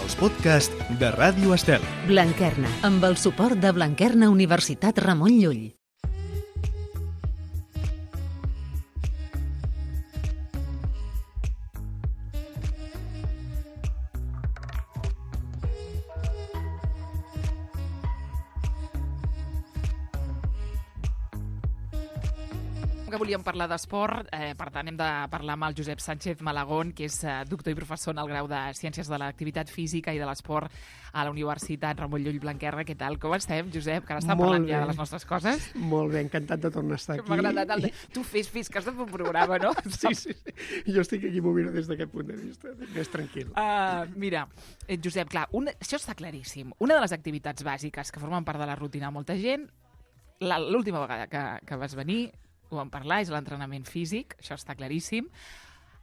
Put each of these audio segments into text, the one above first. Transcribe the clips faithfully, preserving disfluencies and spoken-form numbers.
els podcasts de Ràdio Estel. Blanquerna, amb el suport de Blanquerna Universitat Ramon Llull. Que volíem parlar d'esport, eh, per tant hem de parlar amb el Josep Sánchez Malagón, que és eh, doctor i professor en el grau de Ciències de l'Activitat Física i de l'Esport a la Universitat Ramon Llull Blanquerna. Què tal? Com estem, Josep? Que ara està parlant ja de les nostres coses. Molt bé, encantat de tornar a estar aquí. M'ha agradat el de... Tu fes, fes, que has de fer un programa, no? Sí, sí, sí. Jo estic aquí movint des d'aquest punt de vista, més tranquil. Uh, mira, eh, Josep, clar, una... això està claríssim. Una de les activitats bàsiques que formen part de la rutina de molta gent, la, l'última vegada que, que vas venir, ho vam parlar, és l'entrenament físic, això està claríssim.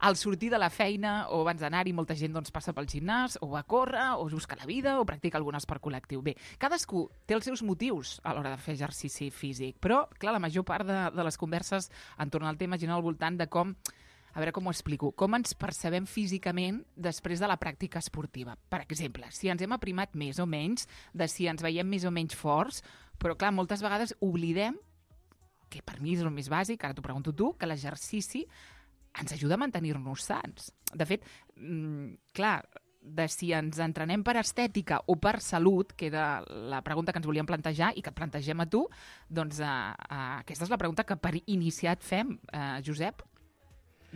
Al sortir de la feina o abans d'anar-hi, molta gent doncs, passa pel gimnàs, o va a córrer, o es busca la vida, o practica algun esport col·lectiu. Bé, cadascú té els seus motius a l'hora de fer exercici físic, però, clar, la major part de, de les converses entorn al tema giren al voltant de com, a veure com ho explico, com ens percebem físicament després de la pràctica esportiva. Per exemple, si ens hem aprimat més o menys, de si ens veiem més o menys forts, però, clar, moltes vegades oblidem que per mi és el més bàsic, ara t'ho pregunto tu, que l'exercici ens ajuda a mantenir-nos sants. De fet, mmm, clar, de si ens entrenem per estètica o per salut, que era la pregunta que ens volíem plantejar i que et plantegem a tu, doncs eh, eh, aquesta és la pregunta que per iniciat fem, eh, Josep.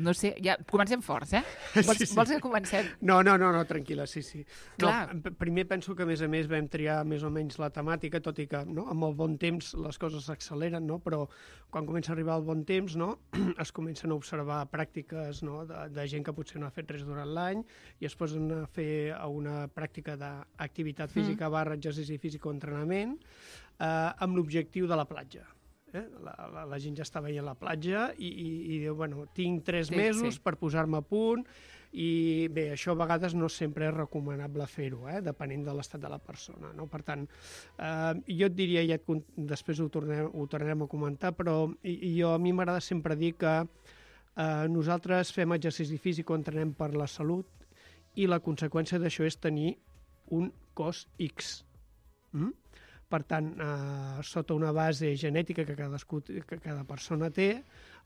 No sé, ja comencem forts, eh? Vols, sí, sí. vols que comencem? No, no, no, no tranquil·la, sí, sí. Clar. No, primer penso que, a més a més, vam triar més o menys la temàtica, tot i que no, amb el bon temps les coses s'acceleren, no? Però quan comença a arribar el bon temps, no, es comencen a observar pràctiques, no, de, de gent que potser no ha fet res durant l'any i es posen a fer una pràctica d'activitat física mm. barra exercici físic o entrenament eh, amb l'objectiu de la platja. Eh? La, la, la gent ja està veient la platja i, i, i diu, bueno, tinc tres sí, mesos sí. per posar-me a punt i bé, això a vegades no sempre és recomanable fer-ho, eh? Depenent de l'estat de la persona, no? Per tant, eh, jo et diria, ja et, després ho tornem, ho tornarem a comentar, però i, i jo, a mi m'agrada sempre dir que eh, nosaltres fem exercici físic o entrenem per la salut i la conseqüència d'això és tenir un cos X. Mm? Per tant, eh, sota una base genètica que, cadascú, que cada persona té,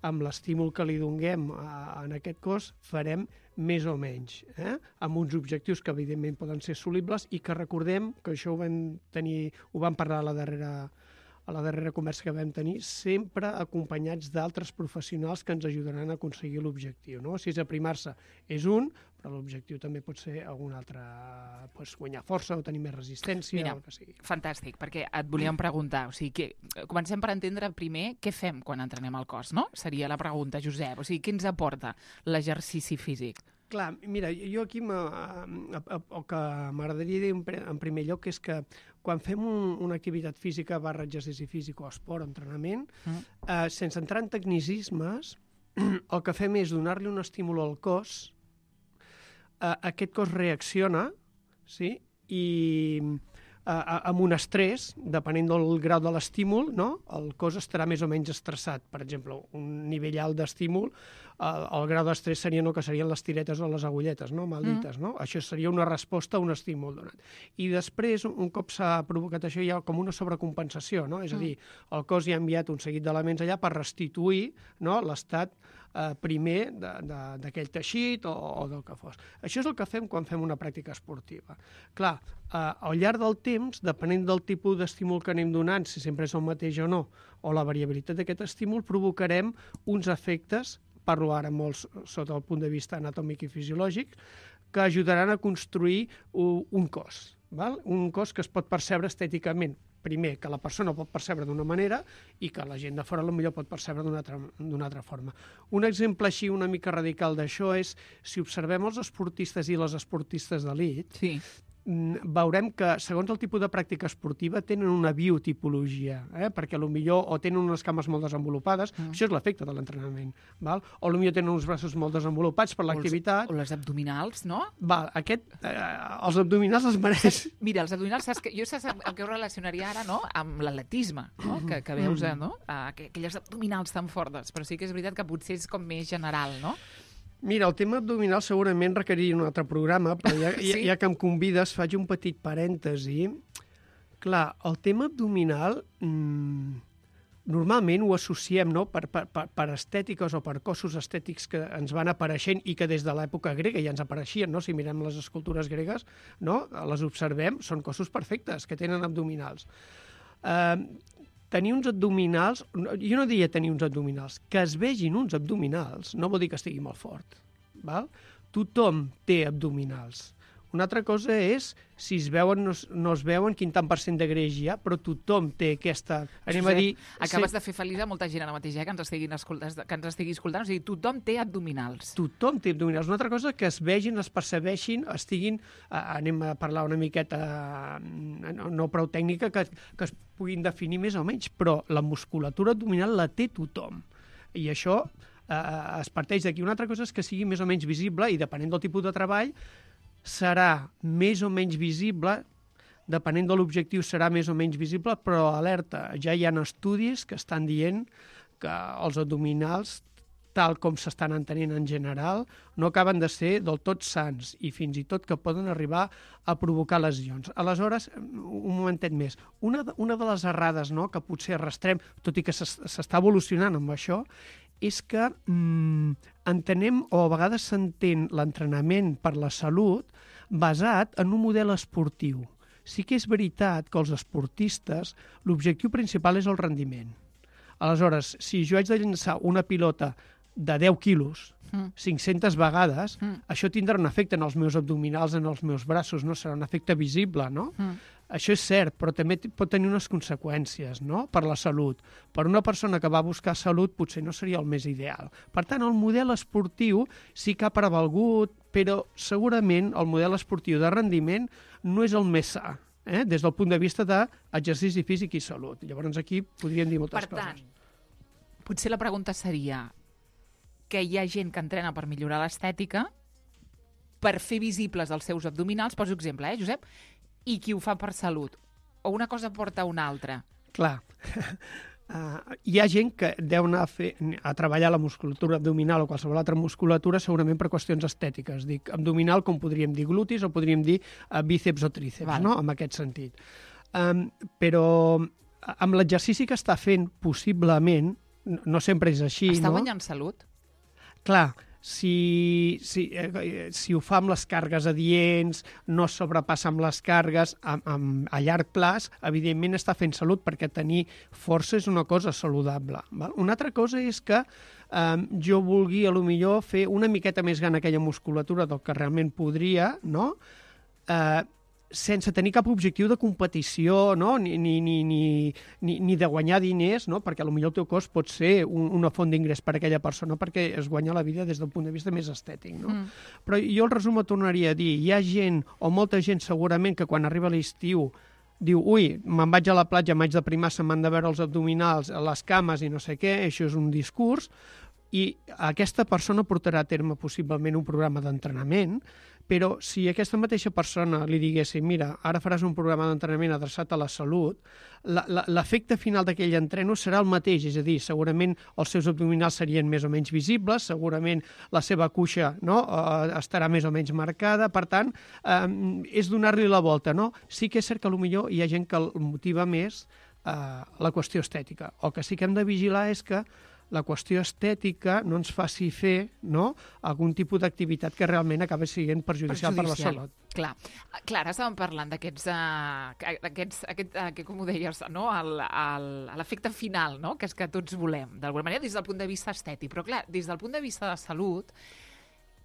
amb l'estímul que li donem eh, en aquest cos, farem més o menys, eh? amb uns objectius que evidentment poden ser assolibles i que recordem que això ho vam tenir, ho vam parlar a la darrera, a la darrera conversa que vam tenir, sempre acompanyats d'altres professionals que ens ajudaran a aconseguir l'objectiu. No? Si és aprimar-se és un, però l'objectiu també pot ser algun altre, pues, guanyar força o tenir més resistència. Mira, o el que sigui. Fantàstic, perquè et volíem preguntar, o sigui, que, comencem per entendre primer què fem quan entrenem el cos, no? Seria la pregunta, Josep, o sigui, què ens aporta l'exercici físic? Clar, mira, jo aquí el que m'agradaria dir en primer lloc és que quan fem un, una activitat física barra exercici físic o esport o entrenament, mm. eh, sense entrar en tecnicismes, el que fem és donar-li un estímul al cos, eh, aquest cos reacciona, sí? I eh, amb un estrès, depenent del grau de l'estímul, no? El cos estarà més o menys estressat. Per exemple, un nivell alt d'estímul, el, el grau d'estrès seria no, que serien les tiretes o les agulletes, no? Mal dites, mm. no? Això seria una resposta a un estímul donat. I després, un cop s'ha provocat això, hi ha com una sobrecompensació, no? És a dir, el cos ja ha enviat un seguit d'elements allà per restituir, no, l'estat eh, primer d'aquell teixit o, o del que fos. Això és el que fem quan fem una pràctica esportiva. Clar, eh, al llarg del temps, depenent del tipus d'estímul que anem donant, si sempre és el mateix o no, o la variabilitat d'aquest estímul, provocarem uns efectes, parlo ara molt sota el punt de vista anatòmic i fisiològic, que ajudaran a construir un cos, val? Un cos que es pot percebre estèticament. Primer, que la persona pot percebre d'una manera i que la gent de fora potser pot percebre d'una altra, d'una altra forma. Un exemple així una mica radical d'això és, si observem els esportistes i les esportistes d'elit, sí. veurem que, segons el tipus de pràctica esportiva, tenen una biotipologia, eh? Perquè potser o tenen unes cames molt desenvolupades, mm. això és l'efecte de l'entrenament, val? O potser tenen uns braços molt desenvolupats per l'activitat. O les abdominals, no? Val, aquest, eh, els abdominals els mereix. Mira, els abdominals, saps que, jo saps el que ho relacionaria ara, no?, amb l'atletisme, no? que, que veus, mm. no?, aquelles abdominals tan fortes, però sí que és veritat que potser és com més general, no? Mira, el tema abdominal segurament requeriria un altre programa, però ja, Sí? ja, ja que em convides faig un petit parèntesi. Clar, el tema abdominal mmm, normalment ho associem, no?, per, per, per, per estètiques o per cossos estètics que ens van apareixent i que des de l'època grega ja ens apareixien, no? Si mirem les escultures gregues, no?, les observem, són cossos perfectes, que tenen abdominals. Uh, tenir uns abdominals, jo no diria tenir uns abdominals, que es vegin uns abdominals no vol dir que estigui molt fort, val? Tothom té abdominals. Una altra cosa és si es veuen, no, no es veuen, quin tant per cent de greix hi ha, però tothom té aquesta... Anem Josep, a dir... acabes ser... de fer feliç a molta gent ara mateix, eh, que ens estiguin escoltant, que ens estigui escoltant. O sigui, tothom té abdominals. Tothom té abdominals. Una altra cosa que es vegin, es percebeixin, estiguin... Eh, anem a parlar una miqueta eh, no, no prou tècnica, que, que es puguin definir més o menys, però la musculatura abdominal la té tothom. I això eh, es parteix d'aquí. Una altra cosa és que sigui més o menys visible i, depenent del tipus de treball, serà més o menys visible, depenent de l'objectiu serà més o menys visible, però alerta, ja hi ha estudis que estan dient que els abdominals, tal com s'estan entenent en general, no acaben de ser del tot sans i fins i tot que poden arribar a provocar lesions. Aleshores, un momentet més, una de, una de les errades, no?, que potser arrastrem, tot i que s'està evolucionant amb això, és que mm, entenem, o a vegades s'entén l'entrenament per la salut basat en un model esportiu. Sí que és veritat que els esportistes l'objectiu principal és el rendiment. Aleshores, si jo haig de llançar una pilota de deu quilos, mm. cinc-centes vegades, mm. això tindrà un efecte en els meus abdominals, en els meus braços, no? Serà un efecte visible, no? Mm. Això és cert, però també pot tenir unes conseqüències, no?, per la salut. Per una persona que va buscar salut potser no seria el més ideal. Per tant, el model esportiu sí que ha prevalgut, però segurament el model esportiu de rendiment no és el més sa, eh?, des del punt de vista d'exercici físic i salut. Llavors aquí podríem dir moltes per coses. Per tant, potser la pregunta seria que hi ha gent que entrena per millorar l'estètica, per fer visibles els seus abdominals, poso exemple, eh, Josep? I qui ho fa per salut. O una cosa porta a una altra. Clar. Uh, hi ha gent que deu anar a, fer, a treballar la musculatura abdominal o qualsevol altra musculatura segurament per qüestions estètiques. Dic abdominal com podríem dir glutis o podríem dir uh, bíceps o tríceps, Val. No?, en aquest sentit. Um, però amb l'exercici que està fent, possiblement, no sempre és així, Està no? guanyant salut? Clar, si, si, eh, si ho fa amb les càrregues adients, no sobrepassa amb les càrregues, a, a, a llarg plaç, evidentment està fent salut, perquè tenir força és una cosa saludable. Val? Una altra cosa és que eh, jo vulgui, a lo millor, fer una miqueta més gran aquella musculatura del que realment podria, no?, eh, sense tenir cap objectiu de competició, no?, ni, ni, ni, ni, ni, ni de guanyar diners, no?, perquè potser el teu cos pot ser un, una font d'ingrés per a aquella persona perquè es guanya la vida des del punt de vista més estètic, no? Mm. Però jo el resum et tornaria a dir, hi ha gent, o molta gent segurament, que quan arriba l'estiu diu, ui, me'n vaig a la platja, m'haig de primar, se m'han de veure els abdominals, les cames i no sé què, això és un discurs, i aquesta persona portarà a terme possiblement un programa d'entrenament, però si aquesta mateixa persona li diguessin, mira, ara faràs un programa d'entrenament adreçat a la salut, l'efecte final d'aquell entreno serà el mateix, és a dir, segurament els seus abdominals serien més o menys visibles, segurament la seva cuixa, no?, eh, estarà més o menys marcada, per tant, eh, és donar-li la volta, no? Sí que és cert que potser hi ha gent que el motiva més eh, la qüestió estètica. El que sí que hem de vigilar és que la qüestió estètica no ens faci fer, no?, algun tipus d'activitat que realment acabi sent perjudicial, perjudicial. per la salut. Clar, clar, ara estàvem parlant d'aquests, uh, aquests, aquest, uh, que, com ho deies, no?, l'efecte final, no?, que és que tots volem, d'alguna manera, des del punt de vista estètic. Però, clar, des del punt de vista de salut,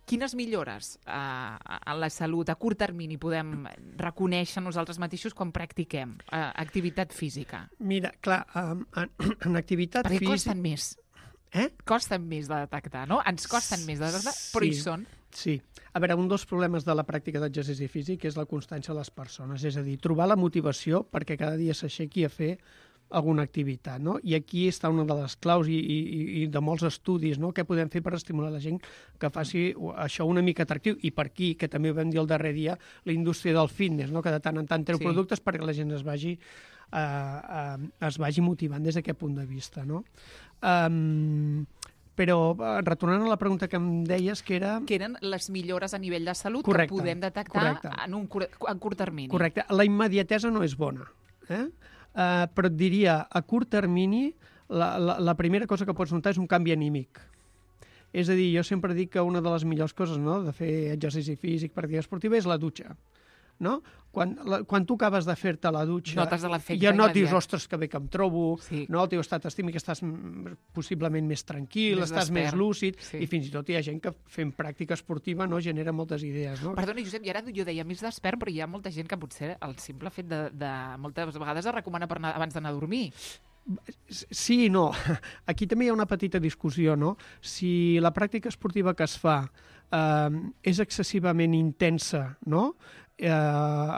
quines millores uh, en la salut a curt termini podem reconèixer nosaltres mateixos quan practiquem uh, activitat física? Mira, clar, um, en, en activitat Perquè física... Perquè costen més. Eh? Costen més de detectar, no? Ens costen més de detectar, però sí, hi són. Sí. A veure, un dels problemes de la pràctica d'exercici físic és la constància de les persones, és a dir, trobar la motivació perquè cada dia s'aixequi a fer alguna activitat, no? I aquí està una de les claus i, i, i de molts estudis, no?, què podem fer per estimular la gent que faci això una mica atractiu. I per aquí, que també ho vam dir el darrer dia, la indústria del fitness, no?, que de tant en tant treu sí. productes perquè la gent es vagi, uh, uh, es vagi motivant des d'aquest punt de vista, no? Um, Però, retornant a la pregunta que em deies, que era... Que eren les millores a nivell de salut Correcte, que podem detectar correcte. en un cur en curt termini. Correcte. La immediatesa no és bona, eh? Uh, però et diria, a curt termini, la, la, la primera cosa que pots notar és un canvi anímic. És a dir, jo sempre dic que una de les millors coses, no?, de fer exercici físic, pràctica esportiva, és la dutxa. No? Quan, la, quan tu acabes de fer-te la dutxa, notes l'efecte ja no et dius, immediat. ostres, que bé que em trobo, Sí. no? El teu estat estímic, estàs possiblement més tranquil, Més estàs despert. més lúcid, Sí. i fins i tot hi ha gent que fent pràctica esportiva no genera moltes idees. No? Perdona, Josep, i ara jo deia més despert, però hi ha molta gent que potser el simple fet de, de moltes vegades es recomana per anar, abans d'anar a dormir. Sí i no. Aquí també hi ha una petita discussió, no? Si la pràctica esportiva que es fa eh, és excessivament intensa, no?, eh,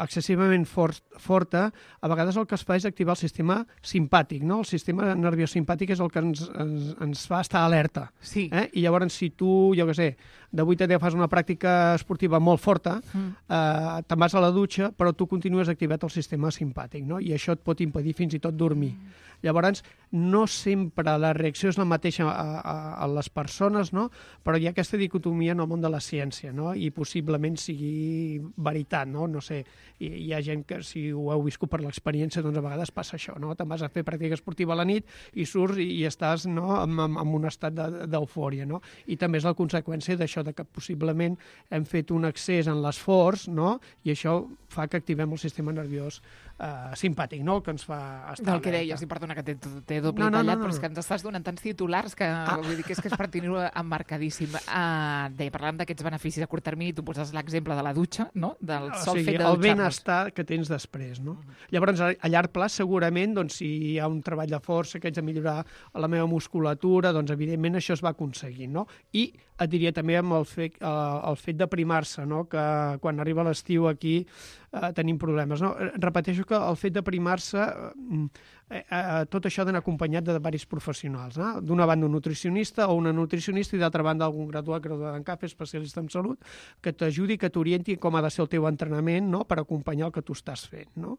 excessivament for forta, a vegades el que es fa és activar el sistema simpàtic, no? El sistema nerviós simpàtic és el que ens, ens, ens fa estar alerta. Sí. Eh? I llavors, si tu, jo què sé, de vuit a deu fas una pràctica esportiva molt forta, mm. eh, te'n vas a la dutxa, però tu continues activat el sistema simpàtic, no? I això et pot impedir fins i tot dormir. Mm. Llavors, no sempre la reacció és la mateixa a, a, a les persones, no? Però hi ha aquesta dicotomia en el món de la ciència, no? I possiblement sigui veritat, no? No sé, hi, hi ha gent que, si ho heu viscut per l'experiència, doncs a vegades passa això, no? Te'n vas a fer pràctica esportiva a la nit i surts i, i estàs, no?, en, en, en un estat d'eufòria, no? I també és la conseqüència d'això, de que possiblement hem fet un excés en l'esforç, no?, i això fa que activem el sistema nerviós eh, simpàtic, no?, el que ens fa estar Del que alerta. deies, i perdona que t'he doble No, no, tallat, no, no, però és no. que ens estàs donant tants titulars que Ah. vull dir que és que és per tenir-ho emmarcadíssim. Uh, deia, parlàvem d'aquests beneficis a curt termini, tu poses l'exemple de la dutxa, no?, del O sol sigui, fet de el dutxar-nos. benestar que tens després, no? Llavors, a, a llarg plaç, segurament, doncs, si hi ha un treball de força que haig de millorar la meva musculatura, doncs, evidentment, això es va aconseguint, no? I et diria també amb el fet, eh, el fet de primar-se, no?, que quan arriba l'estiu aquí eh, tenim problemes, no? Repeteixo que el fet de primar-se, eh, eh, tot això ha d'anar acompanyat de diversos professionals, no? D'una banda un nutricionista o una nutricionista i d'altra banda algun graduat, graduat en C A F, especialista en salut, que t'ajudi, que t'orienti com ha de ser el teu entrenament, no?, per acompanyar el que tu estàs fent, no?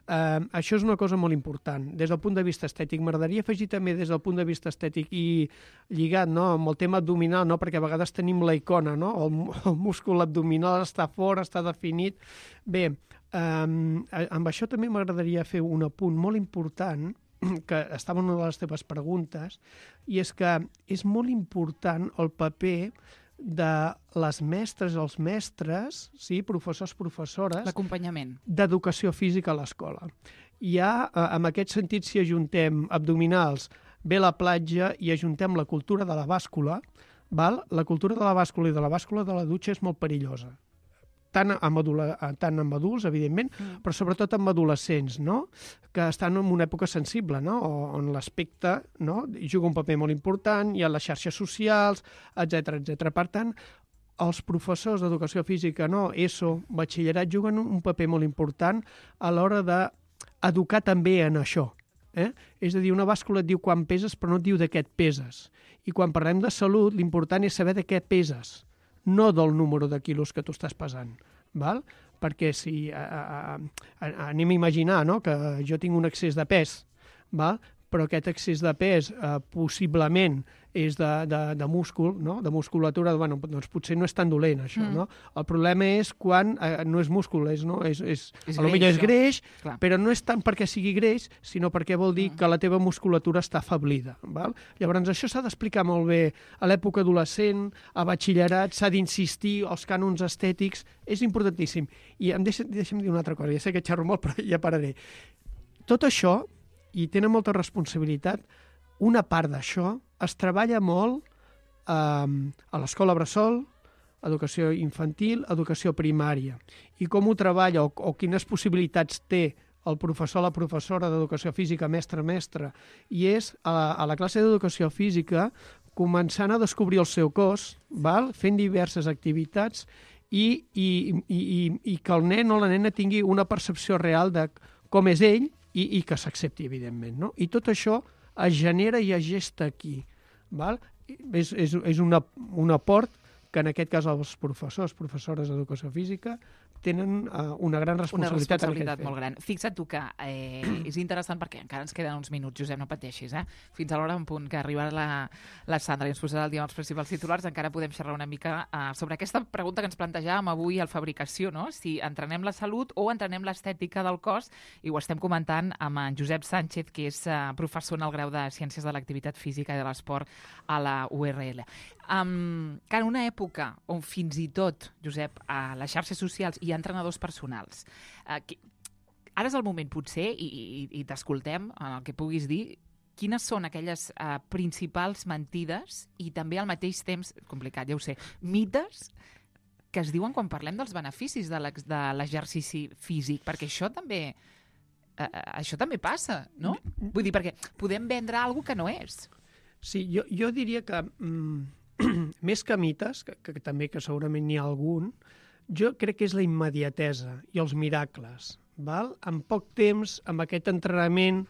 Eh, això és una cosa molt important. Des del punt de vista estètic, m'agradaria afegir també des del punt de vista estètic i lligat, no?, amb el tema abdominal, no?, perquè a vegades tenim la icona, no?, el, el múscul abdominal està fort, està definit. Bé, Um, amb això també m'agradaria fer un apunt molt important, que estava en una de les teves preguntes, i és que és molt important el paper de les mestres, els mestres, sí, professors, professores, L'acompanyament. d'educació física a l'escola. Hi ha, eh, en aquest sentit, si ajuntem abdominals, ve la platja i ajuntem la cultura de la bàscula, val? La cultura de la bàscula i de la bàscula de la dutxa és molt perillosa. Tant amb, adula, tant amb adults, evidentment, mm. però sobretot amb adolescents, no?, que estan en una època sensible, no?, on l'aspecte, no?, juga un paper molt important, hi ha les xarxes socials, etcètera, etcètera. Per tant, els professors d'educació física, no?, ESO, batxillerat, juguen un paper molt important a l'hora d'educar també en això. Eh? És a dir, una bàscula et diu quan peses, però no et diu de què et peses. I quan parlem de salut, l'important és saber de què peses, no del número de quilos que tu estàs pesant, val? Perquè si a, a, a, anem a imaginar, no?, que jo tinc un excés de pes, val? Però aquest excés de pes eh, possiblement és de, de, de múscul, no?, de musculatura, bueno, doncs potser no és tan dolent, això, mm. no? El problema és quan eh, no és múscul, és, no? és, és, és a lo millor és greix, Clar. però no és tant perquè sigui greix, sinó perquè vol dir mm. que la teva musculatura està afablida, val? Llavors, això s'ha d'explicar molt bé a l'època adolescent, a batxillerat, s'ha d'insistir, els cànons estètics, és importantíssim. I em deixa, deixa'm dir una altra cosa, ja sé que xerro molt, però ja pararé. Tot això, i tenen molta responsabilitat, una part d'això es treballa molt eh, a l'escola bressol, educació infantil, educació primària. I com ho treballa o, o quines possibilitats té el professor o la professora d'educació física, mestre, mestre, i és a, a la classe d'educació física començant a descobrir el seu cos, val? Fent diverses activitats i, i, i, i, i que el nen o la nena tingui una percepció real de com és ell i, i que s'accepti, evidentment, no? I tot això es genera i es gesta aquí, val? És, és, és una, un aport que en aquest cas els professors, professores d'educació física tenen uh, una gran responsabilitat. Una responsabilitat molt gran. Fixa't tu que eh, és interessant perquè encara ens queden uns minuts, Josep, no pateixis, eh? Fins a l'hora en punt que arribarà la, la Sandra i ens posarà el dia amb els principals titulars, encara podem xerrar una mica uh, sobre aquesta pregunta que ens plantejàvem avui al Fabricació, no? Si entrenem la salut o entrenem l'estètica del cos, i ho estem comentant amb en Josep Sánchez, que és uh, professor en el grau de Ciències de l'Activitat Física i de l'Esport a la U R L. Um, que en una època on fins i tot, Josep, a les xarxes socials hi ha entrenadors personals, uh, que, ara és el moment potser, i, i, i t'escoltem en el que puguis dir, quines són aquelles uh, principals mentides i també al mateix temps, complicat, ja ho sé, mites que es diuen quan parlem dels beneficis de l'exercici físic, perquè això també, uh, això també passa, no? Vull dir, perquè podem vendre alguna cosa que no és. Sí, jo, jo diria que mm, més que mites, que, que també que segurament n'hi ha algun, jo crec que és la immediatesa i els miracles. Val? En poc temps, amb aquest entrenament,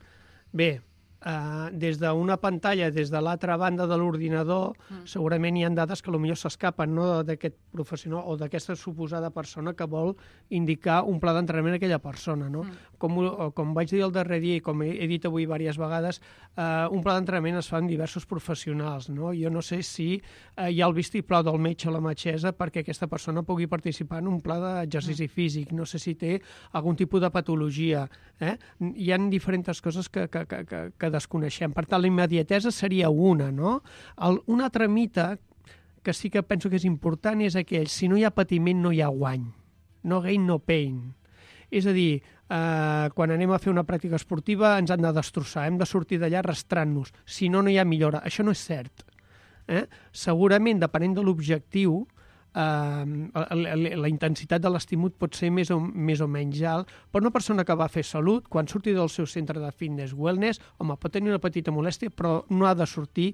bé, Uh, des d'una pantalla, des de l'altra banda de l'ordinador, mm. segurament hi ha dades que potser s'escapen, no, d'aquest professional o d'aquesta suposada persona que vol indicar un pla d'entrenament a aquella persona. No? Mm. Com, com vaig dir el darrer dia i com he, he dit avui diverses vegades, uh, un pla d'entrenament es fa amb diversos professionals. No? Jo no sé si uh, hi ha el vistiplau del metge o la metgessa perquè aquesta persona pugui participar en un pla d'exercici mm. físic. No sé si té algun tipus de patologia. Eh? Hi ha diferents coses que, que, que, que, que desconeixem. Per tant, la immediatesa seria una, no? El, un altre mite que sí que penso que és important és aquell, si no hi ha patiment no hi ha guany. No gain, no pain. És a dir, eh, quan anem a fer una pràctica esportiva ens han de destrossar, hem de sortir d'allà arrastrant-nos. Si no, no hi ha millora. Això no és cert. Eh? Segurament, depenent de l'objectiu, Uh, la, la, la intensitat de l'estímul pot ser més o, més o menys alt, però una persona que va a fer salut, quan surti del seu centre de fitness wellness, home, pot tenir una petita molèstia, però no ha de sortir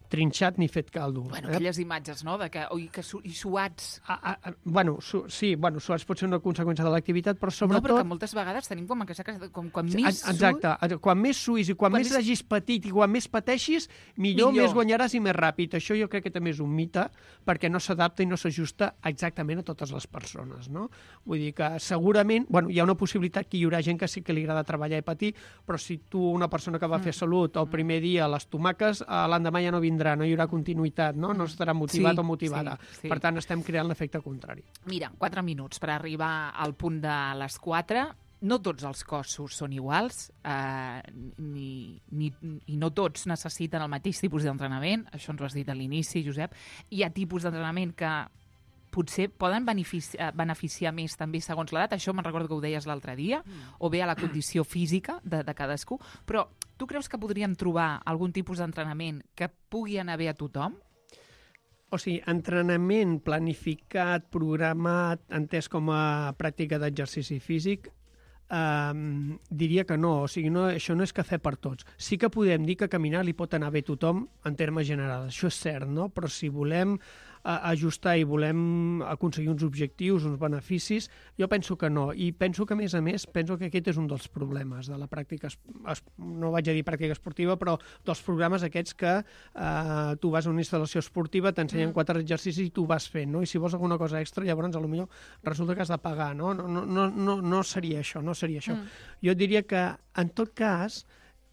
trinxat ni fet caldo. Bueno, eh? aquelles imatges, no?, de que, oi, que su i suats. Ah, ah, bueno, su sí, bueno, suats pot ser una conseqüència de l'activitat, però sobretot... No, però que moltes vegades tenim com aquesta... Com, quan més Exacte, su... quan més suïs i quan, quan més, més hagis patit i quan més pateixis, millor, millor, més guanyaràs i més ràpid. Això jo crec que també és un mite, perquè no s'adapta i no s'ajusta exactament a totes les persones, no? Vull dir que segurament... Bueno, hi ha una possibilitat que hi haurà gent que sí que li agrada treballar i patir, però si tu, una persona que va mm. fer salut, el primer dia les tomaques, l'endemà ja no vindrà, no hi haurà continuïtat, no? No estarà motivat sí, o motivada. Sí, sí. Per tant, estem creant l'efecte contrari. Mira, quatre minuts per arribar al punt de les quatre. No tots els cossos són iguals, eh, ni, ni, i no tots necessiten el mateix tipus d'entrenament. Això ens ho has dit a l'inici, Josep. Hi ha tipus d'entrenament que potser poden beneficiar, beneficiar més també segons l'edat. Això me'n recordo que ho deies l'altre dia, mm. o bé a la condició física de, de cadascú. Però tu creus que podríem trobar algun tipus d'entrenament que pugui anar bé a tothom? O sigui, entrenament planificat, programat, entès com a pràctica d'exercici físic, Um, diria que no, o sigui, no, això no és cafè per tots. Sí que podem dir que caminar li pot anar bé a tothom en termes generals, això és cert, no? Però si volem uh, ajustar i volem aconseguir uns objectius, uns beneficis, jo penso que no, i penso que a més a més, penso que aquest és un dels problemes de la pràctica, es, no vaig a dir pràctica esportiva, però dels programes aquests que uh, tu vas a una instal·lació esportiva, t'ensenyen mm. quatre exercicis i tu vas fent, no? I si vols alguna cosa extra, llavors potser resulta que has de pagar, no? No, no, no, no, no seria això, no seria això. Mm. Jo diria que, en tot cas,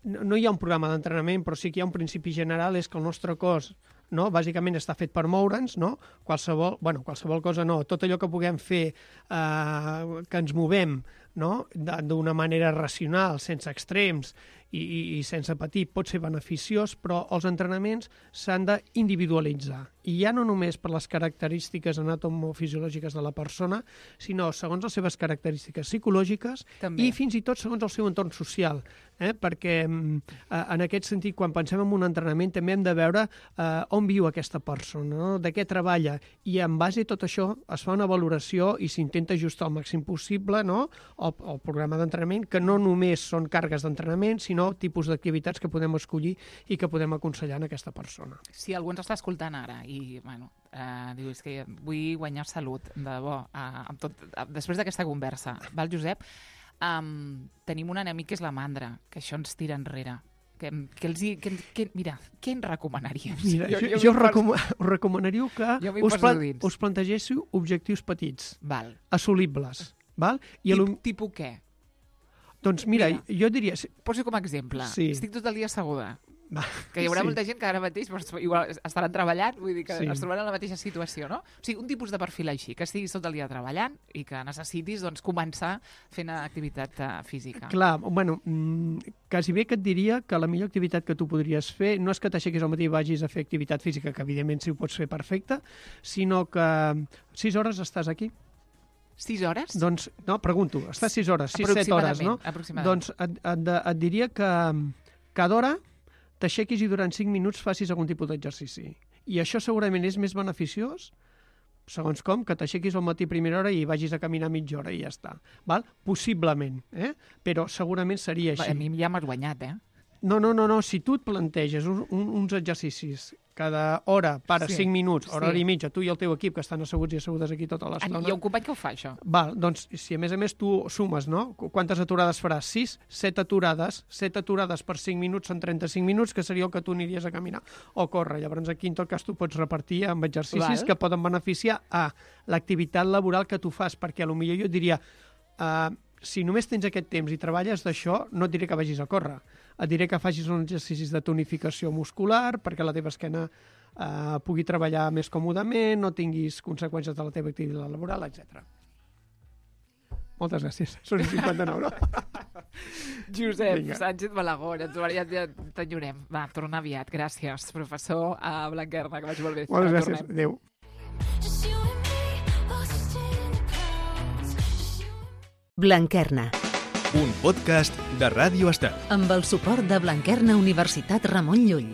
no, no hi ha un programa d'entrenament, però sí que hi ha un principi general, és que el nostre cos, no, bàsicament està fet per moure'ns, no? Qualsevol, bueno, qualsevol cosa no, tot allò que puguem fer, eh, que ens movem, no? D'una manera racional, sense extrems i, i, i sense patir, pot ser beneficiós, però els entrenaments s'han d'individualitzar. I ja no només per les característiques anatomofisiològiques de la persona, sinó segons les seves característiques psicològiques també. I fins i tot segons el seu entorn social. Eh? Perquè en aquest sentit, quan pensem en un entrenament, també hem de veure eh, on viu aquesta persona, no? De què treballa, i en base a tot això es fa una valoració i s'intenta ajustar al màxim possible, no? el, el programa d'entrenament, que no només són càrregues d'entrenament, sinó tipus d'activitats que podem escollir i que podem aconsellar en aquesta persona. Si algú ens està escoltant ara i, bueno, eh, diu, és que vull guanyar salut, de debò, eh, amb tot, eh, després d'aquesta conversa, val, Josep? Um, tenim un enemic que és la mandra, que això ens tira enrere, Que, que els hi, que, que, mira, què ens recomanaries? Mira, jo, jo, jo jo us, recom us recomanaria que Jo m'hi us, poso dins. us plantegéssiu objectius petits, Val. assolibles. Val? I Tip, lo- tipus què? Doncs mira, Mira. jo diria... Poso com a exemple. Sí. Estic tot el dia asseguda. Va, Que hi haurà sí. molta gent que ara mateix doncs, igual estaran treballant, vull dir que Sí. es trobaran en la mateixa situació, no? O sigui, un tipus de perfil així, que estiguis tot el dia treballant i que necessitis doncs, començar fent activitat uh, física. Clar, bueno, mm, quasi bé que et diria que la millor activitat que tu podries fer no és que t'aixequis al matí i vagis a fer activitat física, que evidentment sí ho pots fer perfecte, sinó que sis hores estàs aquí. Sis hores? Doncs, no, pregunto, estàs sis hores, sis, set hores, no? Aproximadament. Doncs et, et, et diria que cada hora t'aixequis i durant cinc minuts facis algun tipus d'exercici. I això segurament és més beneficiós, segons com, que t'aixequis al matí a primera hora i vagis a caminar mitja hora i ja està. Val? Possiblement, eh? Però segurament seria Va, així. a mi ja m'has guanyat, eh? No, no, no, no, si tu et planteges un, un, uns exercicis cada hora, para Sí, cinc minuts, hora, sí. hora i mitja, tu i el teu equip, que estan asseguts i assegudes aquí tota Ah, l'estona... hi ha un company que ho fa, això. Val, doncs, si a més a més tu sumes, no? Qu- Quantes aturades faràs? sis? set aturades. set aturades per cinc minuts són trenta-cinc minuts, que seria el que tu aniries a caminar o córrer. Llavors aquí, en tot cas, tu pots repartir amb exercicis Val. que poden beneficiar a l'activitat laboral que tu fas, perquè potser jo et diria... Uh, si només tens aquest temps i treballes d'això, no et diré que vagis a córrer. Et diré que facis uns exercicis de tonificació muscular perquè la teva esquena eh, pugui treballar més còmodament, no tinguis conseqüències de la teva activitat laboral, etcètera. Moltes gràcies. Són cinquanta-nou, no? Josep Vinga. Sánchez Malagón, ens ja, ja t'enyorem. Va, torna aviat. Gràcies, professor a Blanquerna, que vagi molt bé. Moltes Ara gràcies. tornem. Adéu. Just you and me, lost in the clouds. Just you Blanquerna, Un podcast de Ràdio Estel. amb el suport de Blanquerna Universitat Ramon Llull.